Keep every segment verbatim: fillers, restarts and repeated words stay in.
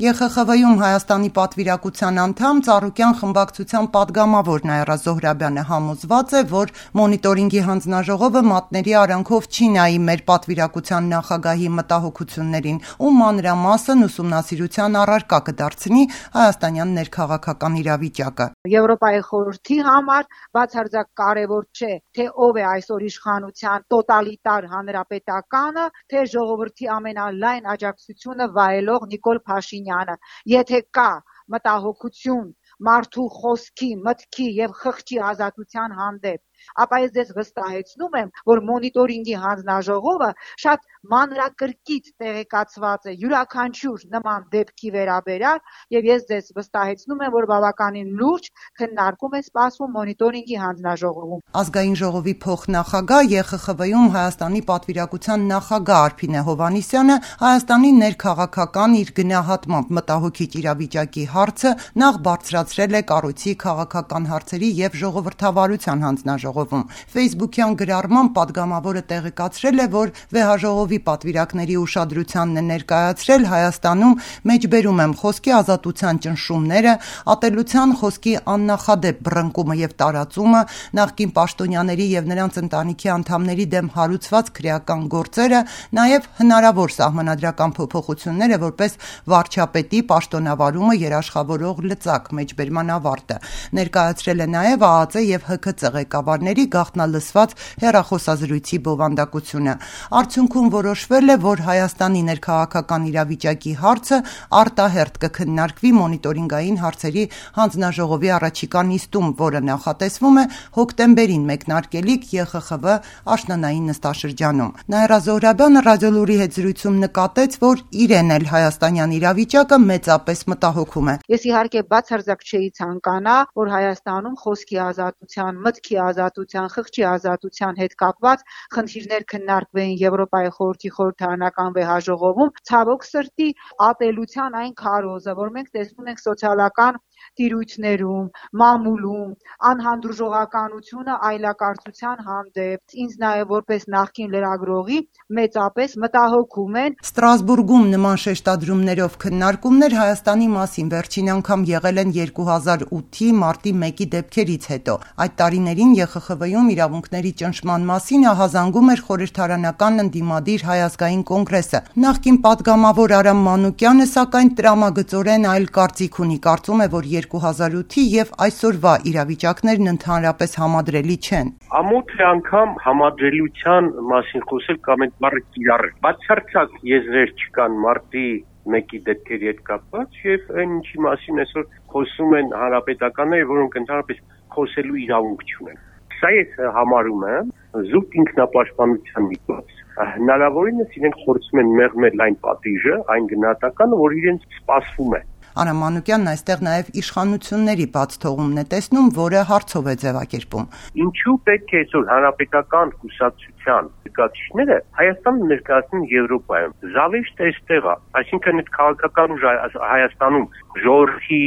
Է Խ Խ V-ում Հայաստանի պատվիրակության անդամ Ծառուկյան խմբակցության պատգամավոր Նաիրա Զոհրաբյանը համոզված է, որ մոնիտորինգի հանձնաժողովը մատների արանքով չի նայի մեր պատվիրակության նախագահի մտահոգություններին ու մանրամասն ուսումնասիրության առարկա կդարձնի հայաստանյան ներքաղաքական իրավիճակը։ Եվրոպայի խորհրդի համար բացարձակ կարևոր չէ, թե ով է այսօր իշխանության տոտալիտար հանրապետականը, թե ժողովրդի ամենալայն աջակցությունը վայելող Նիկոլ Փաշինյանը։ Եթե կա մտահոգություն մարդու խոսքի, մտքի եւ խղճի ազատության հանդեպ, ապա ես ձեզ վստահեցնում եմ, որ մոնիտորինգի հանձնաժողովը շատ մանրակրկիտ տեղեկացված է յուրաքանչյուր նման դեպքի վերաբերյալ եւ ես ձեզ վստահեցնում եմ, որ բավականին լուրջ քննարկում է սպասվում մոնիտորինգի հանձնաժողովում։ Ազգային ժողովի փոխնախագահ Է Խ Խ V-ում Հայաստանի պատվիրակության նախագահ Արփինե Հովհաննիսյանը Հայաստանի ներքաղաքական իր գնահատմամբ մտահոգիչ իրավիճակի հարցը նախ բարձրացրել է կառույցի քաղաքական հարցերի եւ ժողովրդավարության հանձնաժողովում։ Facebook-յան գրառման պատգամավորը տեղեկացրել է, որ վեհաժողովի պատվիրակների ուշադրությանն է ներկայացրել Հայաստանում մեջբերում եմ խոսքի ազատության ճնշումները, ատելության խոսքի աննախադեպ բռնկումը եւ տարածումը, նախկին պաշտոնյաների եւ նրանց ընտանիքի անդամների դեմ հարուցված քրեական գործերը, նաեւ հնարավոր սահմանադրական փոփոխությունները որպես վարչապետի պաշտոնավարումը երաշխավորող լծակ մեջբերման ավարտը։ Ներկայացրել է նաեւ Ա Ա Ծ եւ Հ K C ղեկավարների գաղտնալսված հեռախոսազրույցի բովանդակությունը։ Արդյունքում որոշվել է, որ Հայաստանի ներքաղաքական իրավիճակի հարցը արտահերթ կքննարկվի մոնիտորինգային հարցերի հանձնաժողովի առաջիկա նիստում, որը նախատեսվում է հոկտեմբերին մեկնարկելիք Է Խ Խ V աշնանային նստաշրջանում։ Նաիրա Զոհրաբյանը Ռադիոլուրի հետ զրույցում նկատեց, որ իրեն էլ հայաստանյան իրավիճակը մեծապես մտահոգում է։ Ես իհարկե բացարձակ չէի ցանկանա, որ Հայաստանում խոսքի ազատության, մտքի ազատության, խղճի ազատության հետ կապված խնդիրներ քննարկվեին Եվրոպայի խորհրդի խորհրդարանական վեհաժողովում, ցավոք սրտի ատելության այն քարոզը, որ մենք տեսնում ենք սոցիալական տիրույթներում, մամուլում, անհանդուրժողականությունը այլակարծության հանդեպ, ինձ նաև որպես նախկին լրագրողի մեծապես մտահոգում են։ Ստրասբուրգում նման շեշտադրումներով քննարկումներ Հայաստանի մասին վերջին անգամ եղել են երկու հազար ութի մարտի մեկի դեպքերից հետո։ Այդ տարիներին Է Խ Խ V-ում իրավունքների ճնշման մասին ահազանգում էր խորհրդարանական ընդդիմադիր Հայ ազգային կոնգրեսը։ Նախկին պատգամավոր Արամ Մանուկյանը սակայն տրամագծորեն այլ կարծիք ունի, կարծում է, որ երկու հազար ութի եւ այսօրվա իրավիճակներն ընդհանրապես համադրելի չեն։ Ամոթ է անգամ համադրելիության մասին խոսել կամ այդ բառը կիրառել։ Բացարձակ եզրեր չկան մարտի մեկի դեպքերի հետ կապված եւ այն ինչի մասին այսօր խոսում են հանրապետականները, որոնք ընդհանրապես խոսելու իրավունք չունեն։ Սա ես համարում եմ զուտ ինքնապաշտպանության միջոց։ Հնարավորինս իրենք փորձում են մեղմել այն պատիժը, այն գնահատականը, որ իրենց սպասվում է։ Արամ Մանուկյանն այստեղ նաև իշխանությունների բաց թողումն է տեսնում, որը հարցով է ձևակերպում։ Ինչու պետք է այսօր հանրապետական կուսակցության նկատիչները Հայաստանը ներկայացնեն Եվրոպայում։ Զավեշտը այստեղ է, այսինքն այդ քաղաքական ուժը Հայաստանում ժողովրդի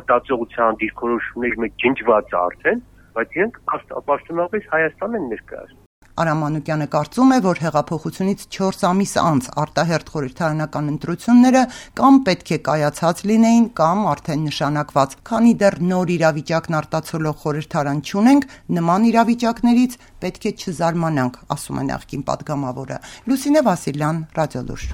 մտածողության դիրքորոշումների մեջ ջնջված է արդեն, բայց իրենք պաշտոնապես Հայաստան են ներկայացնում։ Արամ Մանուկյանը կարծում է, որ հեղափոխությունից չորս ամիս անց արտահերթ խորհրդարանական ընտրությունները կամ պետք է կայացած լինեին, կամ արդեն նշանակված։ Քանի դեռ նոր իրավիճակն արտացոլող խորհրդարան չունենք, նման իրավիճակներից պետք է չզարմանանք, ասում է նախկին պատգամավորը։ Լուսինե Վասիլյան, Ռադիոլուր։